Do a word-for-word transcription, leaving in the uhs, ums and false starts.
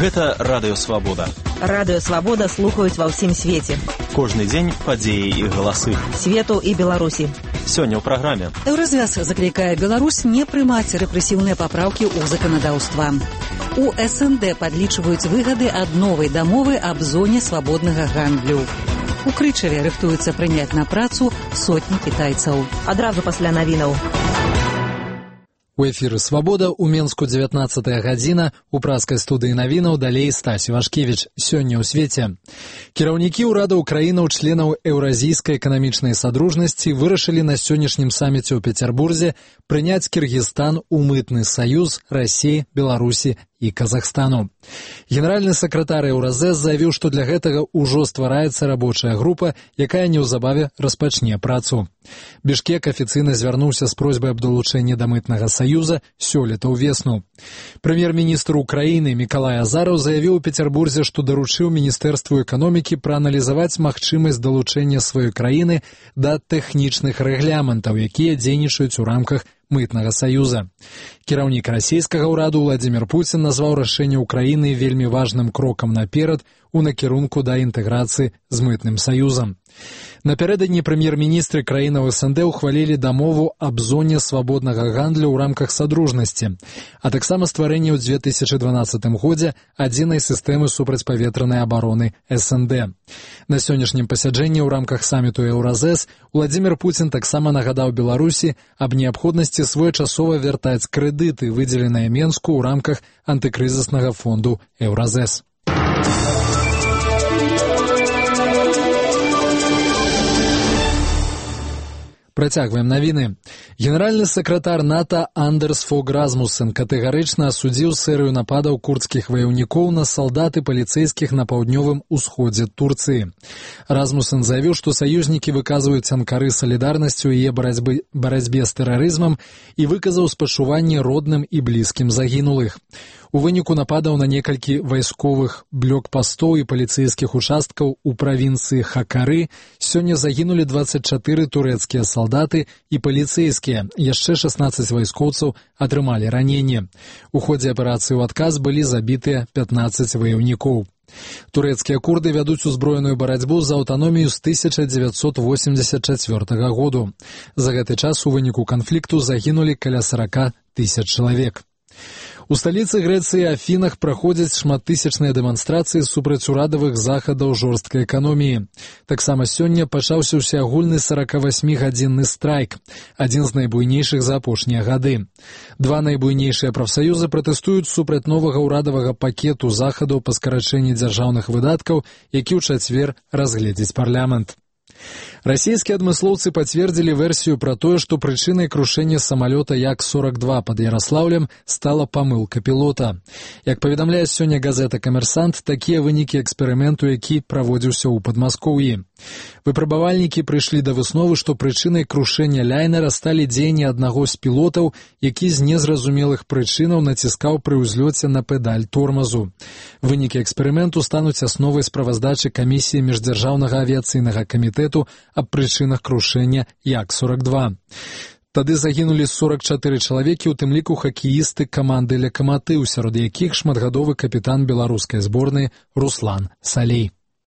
Гэта Радыё Свабода. Радыё Свабода слухаюць ва ўсім свеце. Кожны дзень падзеі і галасы. Свету і Беларусі. Сёння ў праграме. Еўразвяз заклікае Беларусь не прымаць рэпрэсіўныя папраўкі ў заканадаўства. У эс эн дэ падлічваюць выгады ад новай дамовы аб зоне свабоднага гандлю. У Крычаве рыхтуюцца прыняць на працу сотні кітайцаў. Адразу пасля навінаў. У эфіры «Свабода» у Менску дзевятнаццатая гадзіна, у праскай студыі навінаў далей Стась Івашкевіч. Сёння ў свеце. Кіраўнікі ўрадаў краінаў членаў Еўразійскай эканамічнай садружнасці вырашылі на сённяшнім саміце ў Пецярбурзе прыняць Кіргізстан у мытны саюз Расіі, Беларусі і Казахстану. Генеральны сакратар Еўразэс заявіў, што для гэтага ўжо ствараецца рабочая група, якая неўзабаве распачне працу. Бішкек афіцыйна звярнуўся з просьбай аб далучэнні да мытнага саюза сёлета ўвесну. Прэм'ер-міністр Украіны Мікалай Азараў заявіў у Пецярбурзе, што даручыў Міністэрству эканомікі прааналізаваць магчымасць далучэння сваёй краіны да тэхнічных рэгламентаў, якія дзейнічаюць у рамках мытнага саюза. Кіраўнік расійскага ўраду Владзімір Пуцін назваў рашэнне Украіны вельмі важным крокам наперад у накірунку да інтэграцыі з мытным саюзам. Напярэдадні прэм'ер-міністры краінаў эс эн дэ ўхвалілі дамову аб зоне свабоднага гандлю ў рамках садружнасці, а таксама стварэнне ў дзве тысячы дванаццатым годзе адзінай сістэмы супрацьпаветранай абароны эс эн дэ. На сённяшнім пасяджэнні ў рамках саміту Еўразэс Владзімір Пуцін таксама нагадаў Беларусі аб неабходнасці своечасова вяртаць крэдыты, выдзеленыя Менску ў рамках антыкрызіснага фонду Еўразэс. Працягваем навіны. Генеральны сакратар НАТО Андерс Фог Расмуссен катэгарычна асудзіў серыю нападаў курдскіх ваяўнікоў на салдат і паліцэйскіх на паўднёвым усходзе Турцыі. Расмуссен заявіў, што саюзнікі выказваюць Анкары салідарнасцю ў яе барацьбе, барацьбе з тэрарызмам і выказаў спачуванне родным і блізкім загінулых. У выніку нападаў на некалькі вайсковых блокпастоў і паліцэйскіх участкаў у правінцыі Хакары сёння загінулі дваццаць чатыры турэцкія салдаты і паліцэйскія, яшчэ шаснаццаць вайскоўцаў атрымалі раненне. У ходзе аперацыі ў адказ былі забітыя пятнаццаць ваяўнікоў. Турэцкія курды вядуць узброеную барацьбу за аўтаномію з тысяча дзевяцьсот восемьдзесят чацвёртага году. За гэты час у выніку канфлікту загінулі каля сорок тысяч чалавек. У сталіцы Грэцыі Афінах праходзяць шматтысячныя дэманстрацыі супраць урадавых захадаў жорсткай эканоміі. Таксама сёння пачаўся ўсеагульны сорокавасьмігадзінны страйк, адзін з найбуйнейшых за апошнія гады. Два найбуйнейшыя прафсаюзы пратэстуюць супраць новага ўрадавага пакету захадаў па скарачэнні дзяржаўных выдаткаў, які ў чацвер разгледзіць парламент. Расійскія адмыслоўцы пацвердзілі версію пра тое, што прычынай крушэння самалёта Як сорок два пад Яраслаўлем стала памылка пілота. Як паведамляе сёння газета «Камерсант», такія вынікі эксперыменту, які праводзіўся ў Падмаскоўі. Выпрабавальнікі прыйшлі да высновы, што прычынай крушэння ляйнера сталі дзеянні аднаго з пілотаў, які з незразумелых прычынаў націскаў пры ўзлёце на педаль тормазу. Вынікі эксперыменту стануць асновай справаздачы камісіі міждзяржаўнага авіяцыйнага камітэту аб прычынах крушэння Як сорок два. Тады загінулі сорок чатыры чалавекі, у тым ліку хакеісты каманды «Лакаматыў», сярод якіх шматгадовы капітан беларускай зборнай Руслан Салей.